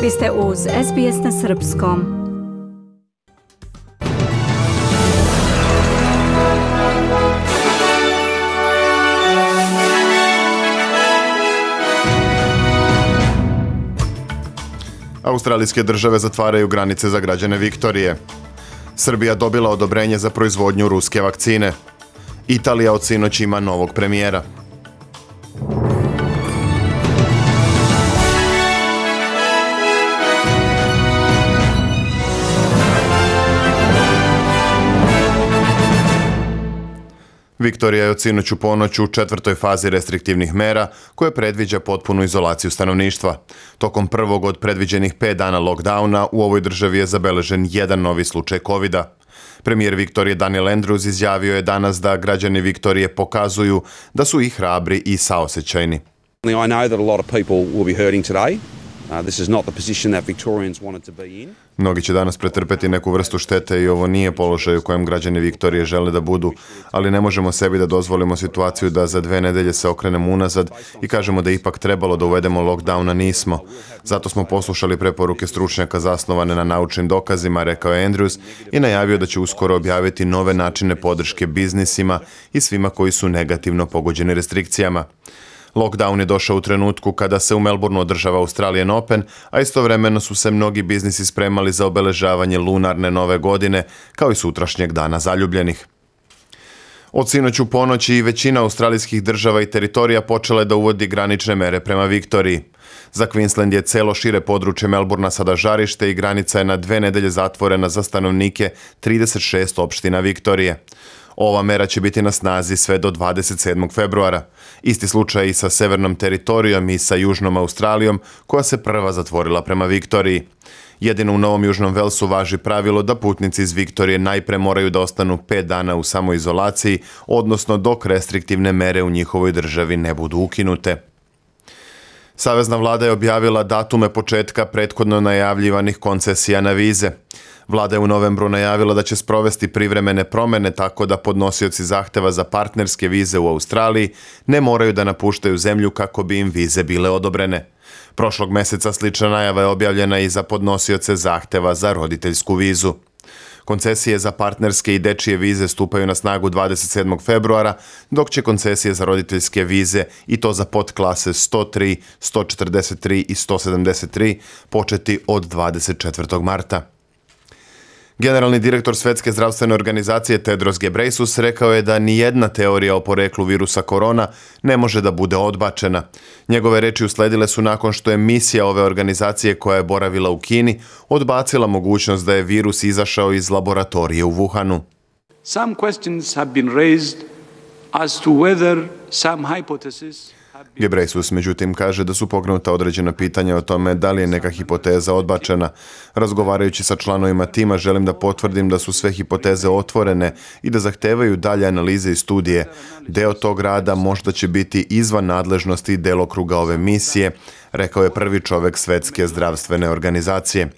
Vi ste uz SBS na srpskom. Australijske države zatvaraju granice za građane Viktorije. Srbija dobila odobrenje za proizvodnju ruske vakcine. Italija od sinoć ima novog premijera. Viktorija je od sinoć u ponoć u 4. fazi restriktivnih mera koje predviđa potpunu izolaciju stanovništva. Tokom prvog od predviđenih 5 dana lockdowna u ovoj državi je zabeležen jedan novi slučaj COVID-a. Premijer Viktorije Daniel Andrews izjavio je danas da građani Viktorije pokazuju da su i hrabri i saosećajni. I know that a lot of people will be hurting today. This is not the position that Victorians wanted to be in. Mnogi će danas pretrpeti neku vrstu štete i ovo nije položaj u kojem građani Viktorije žele da budu, ali ne možemo sebi da dozvolimo situaciju da za 2 nedelje se okrenemo unazad i kažemo da ipak trebalo da uvedemo lockdown, a nismo. Zato smo poslušali preporuke stručnjaka zasnovane na naučnim dokazima, rekao je Andrews i najavio da će uskoro objaviti nove načine podrške biznisima i svima koji su negativno pogođeni restrikcijama. Lockdown je došao u trenutku kada se u Melbourneu održava Australian Open, a istovremeno su se mnogi biznisi spremali za obeležavanje lunarne nove godine, kao i sutrašnjeg dana zaljubljenih. Od sinoć u ponoći i većina australijskih država i teritorija počela je da uvodi granične mere prema Viktoriji. Za Queensland je celo šire područje Melbournea sada žarište i granica je na 2 nedelje zatvorena za stanovnike 36 opština Viktorije. Ova mera će biti na snazi sve do 27. februara. Isti slučaj i sa severnom teritorijom i sa južnom Australijom, koja se prva zatvorila prema Viktoriji. Jedino u Novom Južnom Velsu važi pravilo da putnici iz Viktorije najpre moraju da ostanu 5 dana u samoizolaciji, odnosno dok restriktivne mere u njihovoj državi ne budu ukinute. Savezna vlada je objavila datume početka prethodno najavljivanih koncesija na vize. Vlada je u novembru najavila da će sprovesti privremene promjene tako da podnosioci zahteva za partnerske vize u Australiji ne moraju da napuštaju zemlju kako bi im vize bile odobrene. Prošlog meseca slična najava je objavljena i za podnosioce zahteva za roditeljsku vizu. Koncesije za partnerske i dečije vize stupaju na snagu 27. februara, dok će koncesije za roditeljske vize, i to za podklase 103, 143 i 173, početi od 24. marta. Generalni direktor Svetske zdravstvene organizacije Tedros Ghebreyesus rekao je da nijedna teorija o poreklu virusa korona ne može da bude odbačena. Njegove reči usledile su nakon što je misija ove organizacije koja je boravila u Kini odbacila mogućnost da je virus izašao iz laboratorije u Wuhanu. Some questions have been raised as to whether some hypotheses. Ghebreyesus međutim kaže da su pokrenuta određena pitanja o tome da li je neka hipoteza odbačena. Razgovarajući sa članovima tima želim da potvrdim da su sve hipoteze otvorene i da zahtevaju dalje analize i studije. Deo tog rada možda će biti izvan nadležnosti i delokruga ove misije, rekao je prvi čovek Svetske zdravstvene organizacije.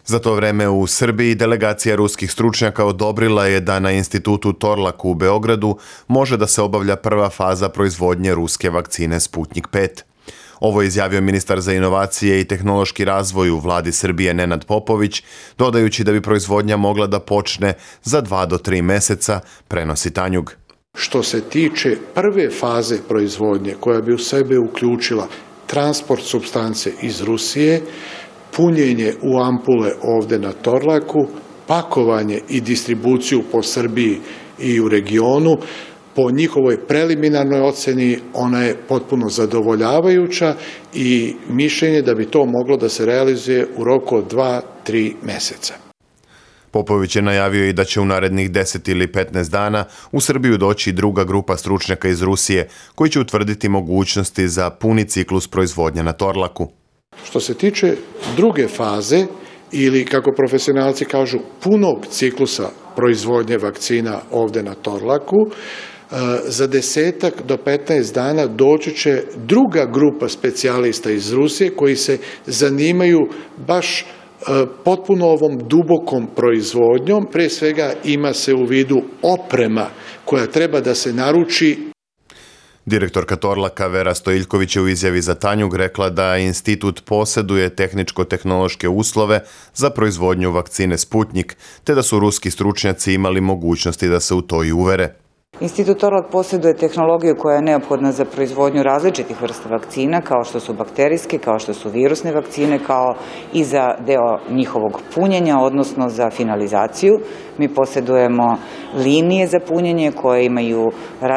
Za to vreme u Srbiji delegacija ruskih stručnjaka odobrila je da na institutu Torlak u Beogradu može da se obavlja prva faza proizvodnje ruske vakcine Sputnik 5. Ovo je izjavio ministar za inovacije i tehnološki razvoj u vladi Srbije Nenad Popović, dodajući da bi proizvodnja mogla da počne za 2 do 3 meseca, prenosi Tanjug. Što se tiče prve faze proizvodnje koja bi u sebe uključila transport supstance iz Rusije, punjenje u ampule ovde na Torlaku, pakovanje i distribuciju po Srbiji i u regionu, po njihovoj preliminarnoj oceni ona je potpuno zadovoljavajuća i mišljenje da bi to moglo da se realizuje u roku od 2-3 meseca. Popović je najavio i da će u narednih 10 ili 15 dana u Srbiju doći druga grupa stručnjaka iz Rusije koji će utvrditi mogućnosti za puni ciklus proizvodnje na Torlaku. Što se tiče druge faze ili, kako profesionalci kažu, punog ciklusa proizvodnje vakcina ovde na Torlaku, za 10 do 15 dana doći će druga grupa specijalista iz Rusije koji se zanimaju baš potpuno ovom dubokom proizvodnjom. Pre svega ima se u vidu oprema koja treba da se naruči. Direktorka Torlaka Vera Stojiljković je u izjavi za Tanjug rekla da institut posjeduje tehničko-tehnološke uslove za proizvodnju vakcine Sputnjik, te da su ruski stručnjaci imali mogućnosti da se u to i uvere. Institut Torlak posjeduje tehnologiju koja je neophodna za proizvodnju različitih vrsta vakcina, kao što su bakterijske, kao što su virusne vakcine, kao i za deo njihovog punjenja, odnosno za finalizaciju. Mi posjedujemo linije za punjenje koje imaju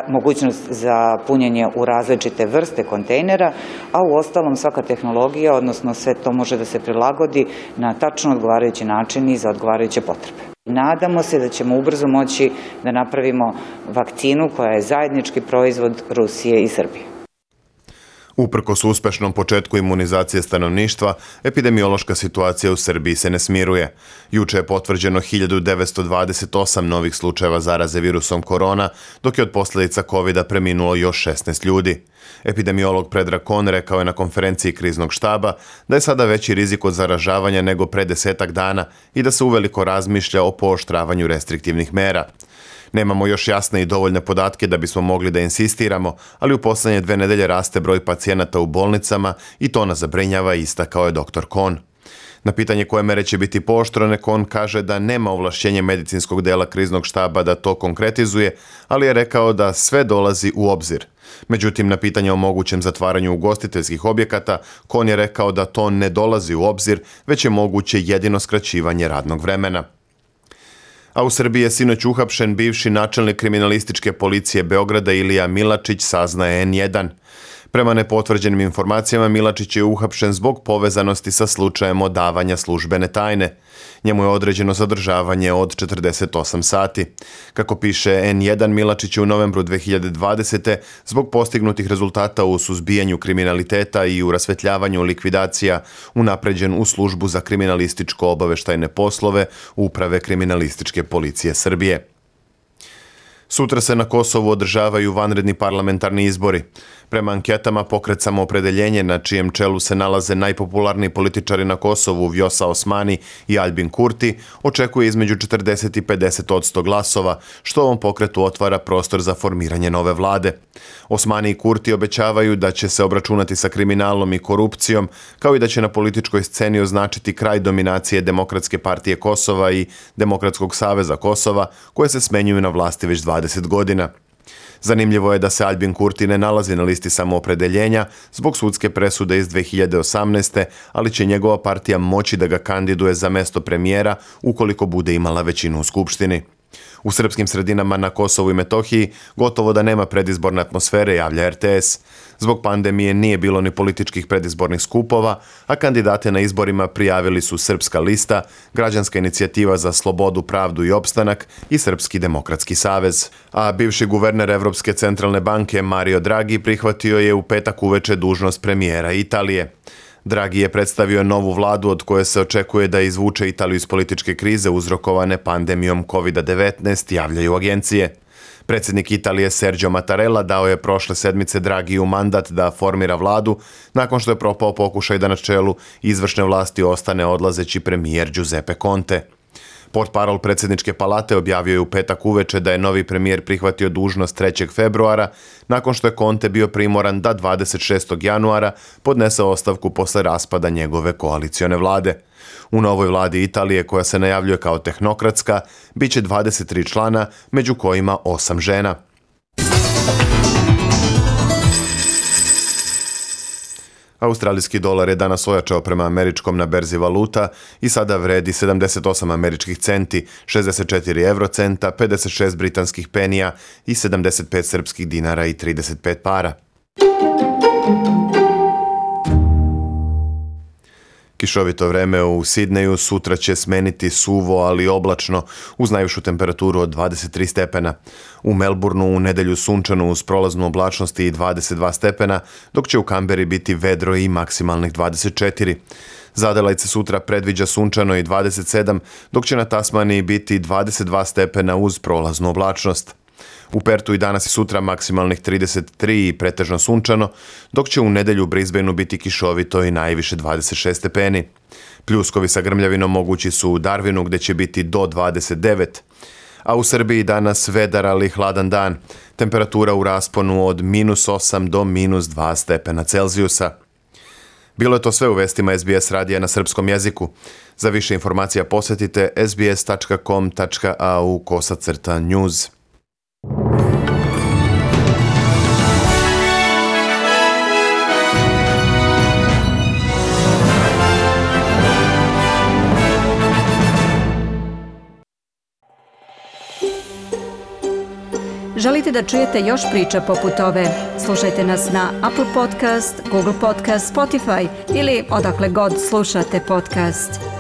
mogućnost za punjenje u različite vrste kontejnera, a u ostalom svaka tehnologija, odnosno sve to može da se prilagodi na tačno odgovarajući način i za odgovarajuće potrebe. Nadamo se da ćemo ubrzo moći da napravimo vakcinu koja je zajednički proizvod Rusije i Srbije. Uprkos uspešnom početku imunizacije stanovništva, epidemiološka situacija u Srbiji se ne smiruje. Juče je potvrđeno 1928 novih slučajeva zaraze virusom korona, dok je od posljedica COVID-a preminulo još 16 ljudi. Epidemiolog Predrag Kon rekao je na konferenciji kriznog štaba da je sada veći rizik od zaražavanja nego pre 10 dana i da se uveliko razmišlja o pooštravanju restriktivnih mera. Nemamo još jasne i dovoljne podatke da bismo mogli da insistiramo, ali u poslednje 2 nedelje raste broj pacijenata u bolnicama i to nas zabrinjava, istakao je dr. Kon. Na pitanje koje mere će biti pooštrene, Kon kaže da nema ovlašćenje medicinskog dela kriznog štaba da to konkretizuje, ali je rekao da sve dolazi u obzir. Međutim, na pitanje o mogućem zatvaranju ugostiteljskih objekata, Kon je rekao da to ne dolazi u obzir, već je moguće jedino skraćivanje radnog vremena. A u Srbiji je sinoć uhapšen bivši načelnik kriminalističke policije Beograda Ilija Milačić, saznaje N1. Prema nepotvrđenim informacijama, Milačić je uhapšen zbog povezanosti sa slučajem odavanja službene tajne. Njemu je određeno zadržavanje od 48 sati. Kako piše N1, Milačić je u novembru 2020. zbog postignutih rezultata u suzbijanju kriminaliteta i u rasvetljavanju likvidacija unapređen u službu za kriminalističko-obaveštajne poslove Uprave kriminalističke policije Srbije. Sutra se na Kosovu održavaju vanredni parlamentarni izbori. Prema anketama Pokret Samoopredeljenje, na čijem čelu se nalaze najpopularniji političari na Kosovu Vjosa Osmani i Aljbin Kurti, očekuje između 40 i 50% glasova, što ovom pokretu otvara prostor za formiranje nove vlade. Osmani i Kurti obećavaju da će se obračunati sa kriminalom i korupcijom, kao i da će na političkoj sceni označiti kraj dominacije Demokratske partije Kosova i Demokratskog saveza Kosova, koje se smenjuju na vlasti već 20 godina. Zanimljivo je da se Aljbin Kurti ne nalazi na listi Samoopredeljenja zbog sudske presude iz 2018. ali će njegova partija moći da ga kandiduje za mesto premijera ukoliko bude imala većinu u Skupštini. U srpskim sredinama na Kosovu i Metohiji gotovo da nema predizborne atmosfere, javlja RTS. Zbog pandemije nije bilo ni političkih predizbornih skupova, a kandidate na izborima prijavili su Srpska lista, Građanska inicijativa za slobodu, pravdu i opstanak i Srpski demokratski savez. A bivši guverner Evropske centralne banke Mario Draghi prihvatio je u petak uveče dužnost premijera Italije. Draghi je predstavio novu vladu od koje se očekuje da izvuče Italiju iz političke krize uzrokovane pandemijom COVID-19, javljaju agencije. Predsjednik Italije Sergio Mattarella dao je prošle sedmice Draghiju mandat da formira vladu nakon što je propao pokušaj da na čelu izvršne vlasti ostane odlazeći premijer Giuseppe Conte. Portparol predsjedničke palate objavio je u petak uveče da je novi premijer prihvatio dužnost 3. februara, nakon što je Conte bio primoran da 26. januara podnese ostavku posle raspada njegove koalicione vlade. U novoj vladi Italije, koja se najavljuje kao tehnokratska, bit će 23 člana, među kojima 8 žena. Australijski dolar je danas ojačao prema američkom na berzi valuta i sada vredi 78 američkih centi, 64 eurocenta, 56 britanskih penija i 75 srpskih dinara i 35 para. Kišovito vreme u Sidneju sutra će smeniti suvo, ali oblačno, uz najvišu temperaturu od 23 stepena. U Melbourneu u nedelju sunčano uz prolaznu oblačnost i 22 stepena, dok će u Kamberi biti vedro i maksimalnih 24. Za Adelaide se sutra predviđa sunčano i 27, dok će na Tasmaniji biti 22 stepena uz prolaznu oblačnost. U Pertu i danas i sutra maksimalnih 33 i pretežno sunčano, dok će u nedelju u Brisbaneu biti kišovito i najviše 26 stepeni. Pljuskovi sa grmljavinom mogući su u Darwinu gdje će biti do 29, a u Srbiji danas vedar ali hladan dan. Temperatura u rasponu od -8 do -2 stepena Celzijusa. Bilo je to sve u vestima SBS radija na srpskom jeziku. Za više informacija posjetite sbs.com.au/news. Želite da čujete još priča poput ove? Slušajte nas na Apple Podcast, Google Podcast, Spotify ili odakle god slušate podcast.